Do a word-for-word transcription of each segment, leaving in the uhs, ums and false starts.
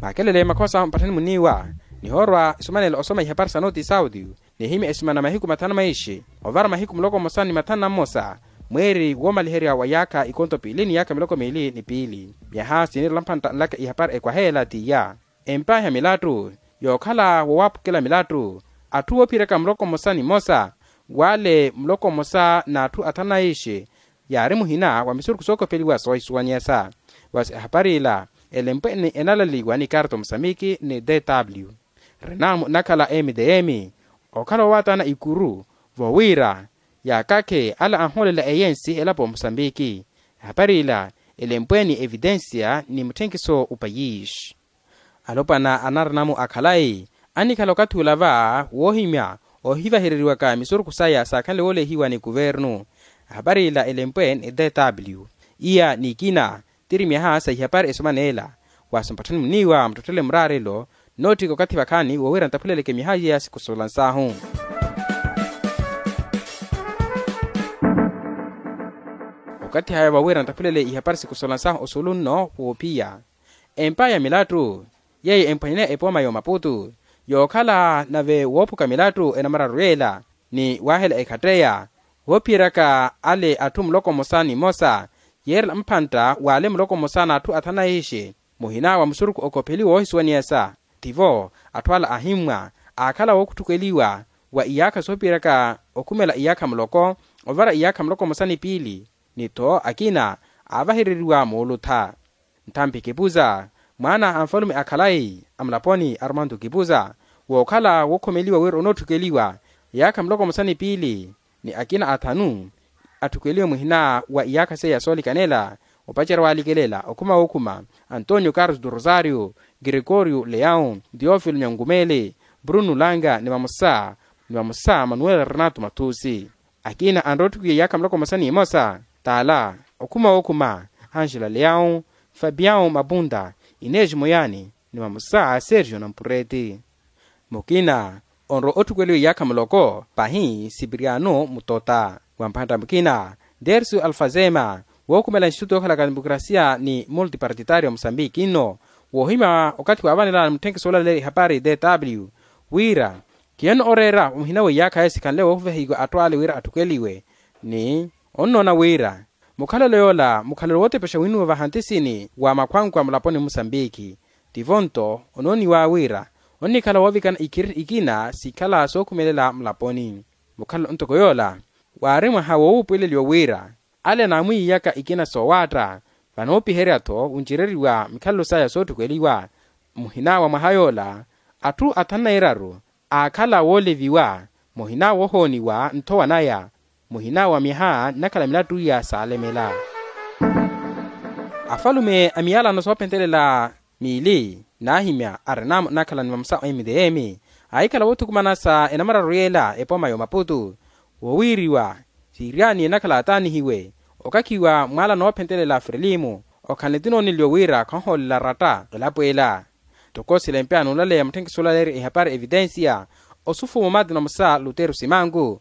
Akelele makhosa mpatthani muniiwa nihoorwa esumanela osoma ihapari sa noti sauti, nihimya esumana mahiku mathanu maishi ovara mahiku muloko mmosa ni mathanu na mmosa mweeri woomaliherya wa yaakha ikonto piili ni yaakha miloko miili ni piili. Myaha siniirela mphantta nlaka ihapari ekwaheela t'iya. Empa ya milattu yookhala wowaapukela milattu atthu woophiyeraka muloko mmosa ni mmosa wale muloko mmosa n'atthu athanu na ishi yaari muhina wa misurukhu sookopheliwa soohisuwanyesa. Wasi ehapari ila elempwe ni enalaliwa ni karto musambiki ni dw. Renamu nakhala mdm okhala wowatana ikuru vowiira yaakakhe ala anhoolela eyensi elapo musambiki. Ehapari ila elempwe ni evitensia ni mutthenkiso upayishi. Alopwana a narinamu a khalayi annikhala okathi ula va woohimya ohivahereriwaka misurukhu saya saakhanle woolehiwa ni kuvernu. Ehapari ila elempwe ni dw iya n'ikina tiri myaha sa ihapari esomaneela. Wasi mpatthani muniiwa muttetthele muraarelo nootthika okathi vakhaani woowiira nttaphuleleke myaha iya sikusola nsahu. Okathi haya voowiira nttaphulele ihapari sikusola nsahu osuulu nno woophiya empa ya milattu yeeyo emphwanyaneya epooma y'omaputu yookhala nave woophuka milattu enamararu yeela ni waahela ekhatteya woophiyeryaka ale atthu muloko mmosa ni mmosa yeerela mphantta w'ale muloko mmosa n'atthu athanu na ishi muhina wa musurukhu okopheliwa woohisuwaniyasa. Tivo atthu ala ahimmwa aakhala wookhutthukweliwa wa iyaakha soopiyeryaka okhumela iyaakha muloko ovara iyaakha muloko mmosa ni piili ni-tho akina aavahereriwa moolutha. Nthampi kipuza mwaana a nfalume a khalayi a mulaponi armando kipuza wookhala wookhomeliwa wira onootthukweliwa iyaakha muloko mmosa ni piili ni akina athanu atthukweliwe muhina wa iyaakha seiya soolikanela opacerya waalikelela okhuma wookhuma antonio carlos do rosario gregorio leão theofilo nyankumele bruno langa ni vamosa ni vamosa manuel renato mathusi. Akina anrotthukiwe iyaakha muloko mmosa ni imosa t'ala okhuma wookhuma angela leão fabião mapunda inês moyani ni vamosa sergio nampureti. Mukina onrowa otthukweliwa iyaakha muloko pahi sipiriano mutota wa mphantta mukina dercio alfazema wookhumela instituto yookhalaka demokrasia ni multipartitario musambiki nno woohimya okathi waavanelana mutthenkiso olaleerya ihapari dw wira khiyanno oreera muhina wa iyaakha esikhanle woovahiwa atthu ale wira atthukeliwe ni onnoona wira mukhalelo yoola mukhalelo wootepexa winuwa vahantisini wa makhwankwa mulaponi musambiki. Tivo-nto onooniwa wira onnikhala woovikana ikhiri ikina sikhala sookhumelela mulaponi. Mukhalelo ntoko yoola waari mwaha woowuupweleliwa wira ale naamwiiyaka ikina soowaatta vanoopiherya-tho wuncereriwa mikhalelo saya sootthukweliwa muhina wa mwaha yoola atthu athanu na iraru aakhala wooleviwa muhina woohooniwa nthowa naya muhina wa myaha nnakhala milattu iya saalemela. Afalume a miyalano soophentelela miili naahimya arenamu nnakhala ni vamosa mdm aahikhala woothukumana sa enamararu yeela epooma y'omaputu woowiiriwa siiriyani ennakhala ataanihiwe okakhiwa mwaala noophentelela frelimu okhanle tinooneliwa wira khonhoolela ratta elapo ela. Ntoko silempe anulaleya mutthenkiso olaleerya ihapari evitensiya osufumo mati na musa luteru simanku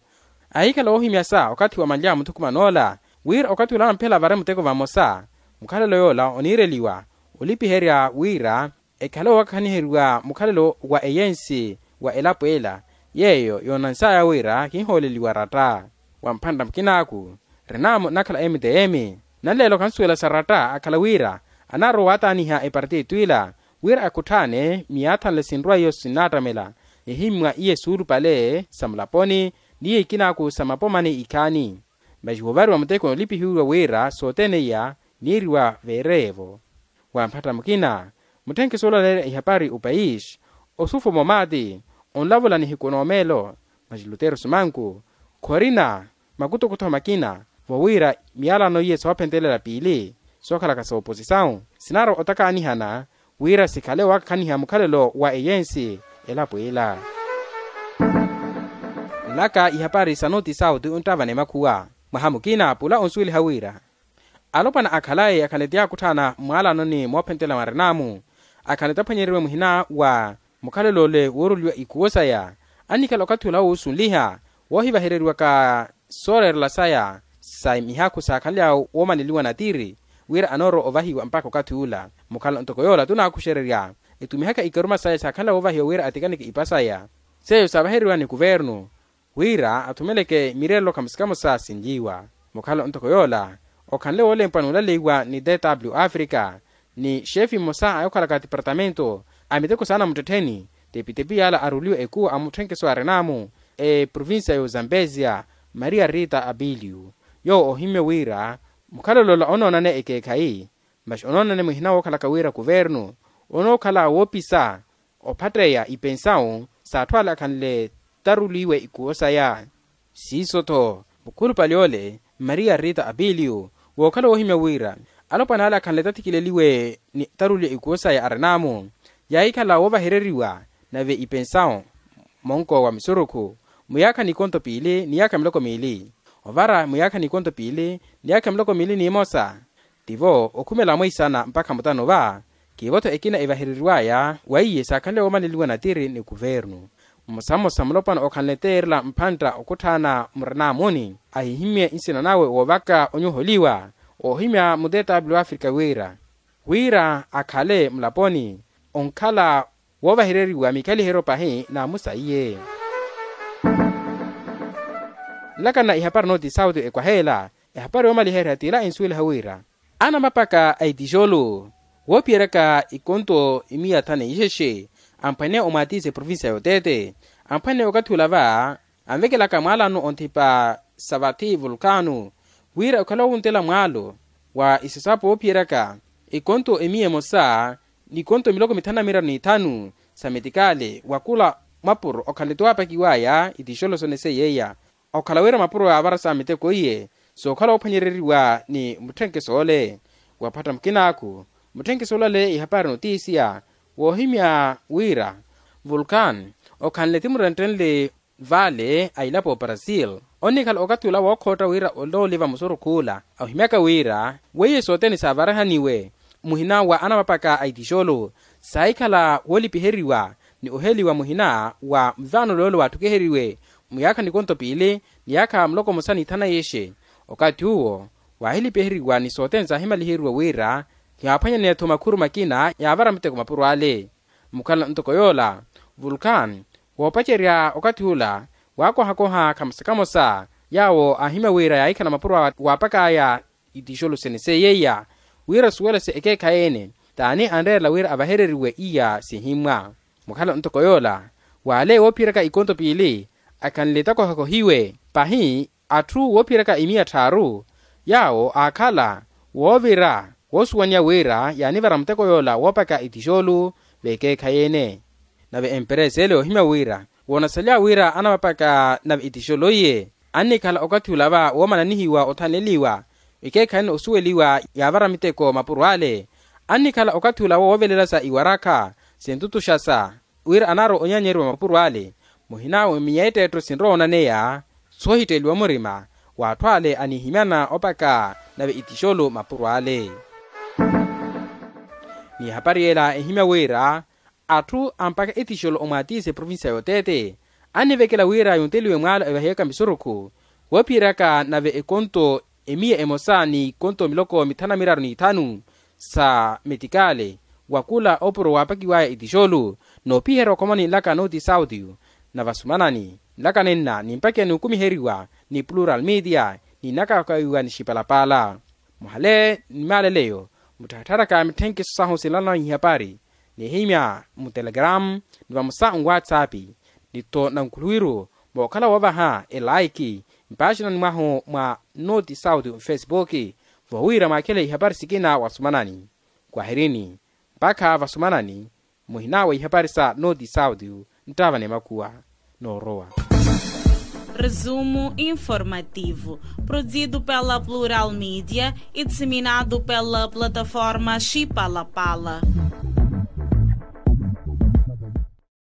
aahikhala woohimyasa okathi wa manlya muthukuman'ola wira okathi ula anamphela avare muteko vamosa mukhalelo yoola oniireliwa olipiherya wira ekhale owakakhaniheriwa mukhalelo wa eyensi wa elapo ela yeeyo yoonansaya wira kinhooleliwa ratta. Wa mphantta mukinaaku renamu nnakhala mtm nanleelo khansuwela sa ratta akhala wira anaarowa waataaniha epartito ila wira akhutthaane miyaathanle sinrwa iyo sinnaattamela ehimmwa iye suulupale sa mulaponi n'iyo ikinaaku sa mapomani ikhaani. Masi woovariwa muteko noolipihiwiwa wira sothene iya niiriwa veereyevo. Wa mphatta mukina mutthenkiso olaleerya ihapari opayisi osufumo maati onlavula nihiku noomeelo masi luteru sumanku khorina makutokutho makina vowiira miyalano iye soophentelela piili sookhalaka sooposisawu sinaarwa otakaanihana wira sikhale owakakhaniha mukhalelo wa eyensi elapo ila. Nlaka ihapari sa noti sauti onttavana emakhuwa mwaha mukina pula onsuweliha wira alopwana akhalayi akhanle ti yaakutthana mmwaalanoni moophentela mwarenamu akhanle ti aphwanyeriwe muhina wa mukhalelo ole wooroliwa ikhuwo saya annikhala okathi ola woosunliha woohivahereriwaka sooreerela saya sa mihakhu saakhanly'awe woomaneliwa natiri wira anoorowa ovahiwa mpakha okathi ula. Mukhalelo ntoko yoola tunaakuxererya etumihaka ikaruma saya saakhanle woovahiwa wira atikaneke ipa saya, seiyo saavaheriwa ni kuvernu wira athumeleke mireerelo kamosa kamosa sinliwa. Mukhala ntoko yoola okhanle woolempwa n'ulaleiwa ni tw africa, ni xeefi mmosa a yookhalaka tipartamento a miteko saana muttettheni, tepi-tepi yaala aruliwa ekuwo a mutthenkeso arinaamu eprovincia y'ozambesia, maria rita abilio, yoowo oohimye wira mukhalelo ola onoonane ekeekhayi, masi onoonane muhina wookhalaka wira kuvernu onookhala woopisa ophatteya ipensawu s'atthu ale akhanle taruliwe ikuwo saya. Siiso-tho mukhulupale ole maria rita abilio wookhala woohimya wira alopwana ale akhanle tathikileliwe ni taruliwe ikuwo saya arinaamu, yaahikhala woovahereriwa nave ipensawu monko wa misurukhu muyaakha n'ikonto piili ni yaakha miloko miili, ovara muyaakha n'ikonto piili ni yaakha miloko miili n'imosa. Tivo okhumela mweisana mpakha mutano va kiivo-tho ekina evahereriwaya weiye saakhanle woomaneliwa natiri ni kuvernu. Mmosa-mmosa mulopwana okhanle teerela mphantta okhutthaana murinaamuni ahihimye nsina nawe woovaka onyuholiwa oohimya mutetaapili w'afrika wira wira akhale mulaponi onkhala woovahereriwa mikhaliheryo pahi n'amusa iye. Nlakana ihapari nooti sauti ekwaheela ehapari yoomaliherya t'ila ensuweliha wira anamapaka a itixolu woophiyeryaka ikonto imiya thanu ixexe amphwaneya omwaatisa eprovincia y'oteete amphwaneya okathi ula va anvekelaka mwaalano onthipa sa vathi vulkano wira okhale woovuntela mwaalo wa isasapo woophiyeryaka ikonto emiya emosa n'ikonto miloko mithanu na miraru n'ithanu sa metikale wa kula mwapuro okhanle-tho waapakiwaya itixolo sone seiya okhala wira mapuro yaavara sa miteko iye sookhala woophwanyereriwa ni mutthenkeso ole. Waphatta mukinaaku mutthenkeso ole ale ihapari notisiya woohimya wira vulkan okhanle ti murentthenle vale a ilapo brasil onnikhala okathi ula wookhootta wira ole oliva musurukhu ula ohimyaka wira weiye sothene saavarihaniwe muhina wa anamapaka a itixolo saahikhala woolipiheriwa ni oheliwa muhina wa mvaano loole waatthukiheriwe muyaakha nikonto piili ni yaakha muloko mmosa n'ithanu na yexe. Okathi uwo waahilipiheriwa ni sothene saahimaliheriwa wira yaaphwanyaneya-tho makhuru makina yaavara miteko mapuro ale. Mukhala ntoko yoola vulkan woopacerya okathi ula waakohakoha kamosa-kamosa yaawo aahimya wira yaahikhala mapuro waapakaya itixolo sene seiyeiya wira suwelese ekeekhayi-ene t'ani anreerela wira avahereriwe iya sihimmwa. Mukhala ntoko yoola waale woophiyeryaka ikonto piili akhanle takohakohiwe pahi atthu woophiyeryaka imiya tthaaru yaawo aakhala woovira woosuwaniya wira yaanivara muteko yoola woopaka itixolu v'ekeekhayi-ene. Nave emperesa ele yoohimya wira woonasaliwa wira anamapaka nave itixolo iye annikhala okathi ula va woomananihiwa othaneliwa ekeekhayi-ene osuweliwa yaavara miteko mapuro ale annikhala okathi ula woovelela sa iwarakha sintutuxasa wira anaari onyaanyeriwa mapuro ale muhina wa miya etteetto sinrowa onaneya soohitteliwa murima w'atthu ale anihimyana opaka nave itixolo mapuro ale. Ni ehapari ela ehimya wira atthu ampaka etixolo omwaatisa eprovincia y'oteete annivekela wira yunteliwe mwaalo evaheyaka misurukhu woophiyeryaka nave ekonto emiya emosa n'ikonto miloko mithanu na miraru n'ithanu sa metikale wa kula opuro waapakiwaya itixolu noopiherya okhomani nlaka nooti sauti na vasumanani nlaka nenna nimpakiya n'ukumiheriwa ni plural media ni nnakakawiwa ni xipalapala. Muhale ni maaleleyo muttharattharaka mitthenkiso sahu sinlana ihapari nihimya mutelegram ni vamosa nwatsapp ni-tho nankhuluwiru mookhala woovaha elaiki mpaaxinani mwahu mwa nooti sauti mfesipuki vowiira mwaakhele ihapari sikina wasumanani. Kwahirini mpakha vasumanani muhina wa ihapari sa nooti sauti nttaavani makuwa noorowa. Resumo informativo, produzido pela Plural Media e disseminado pela plataforma Chipalapala.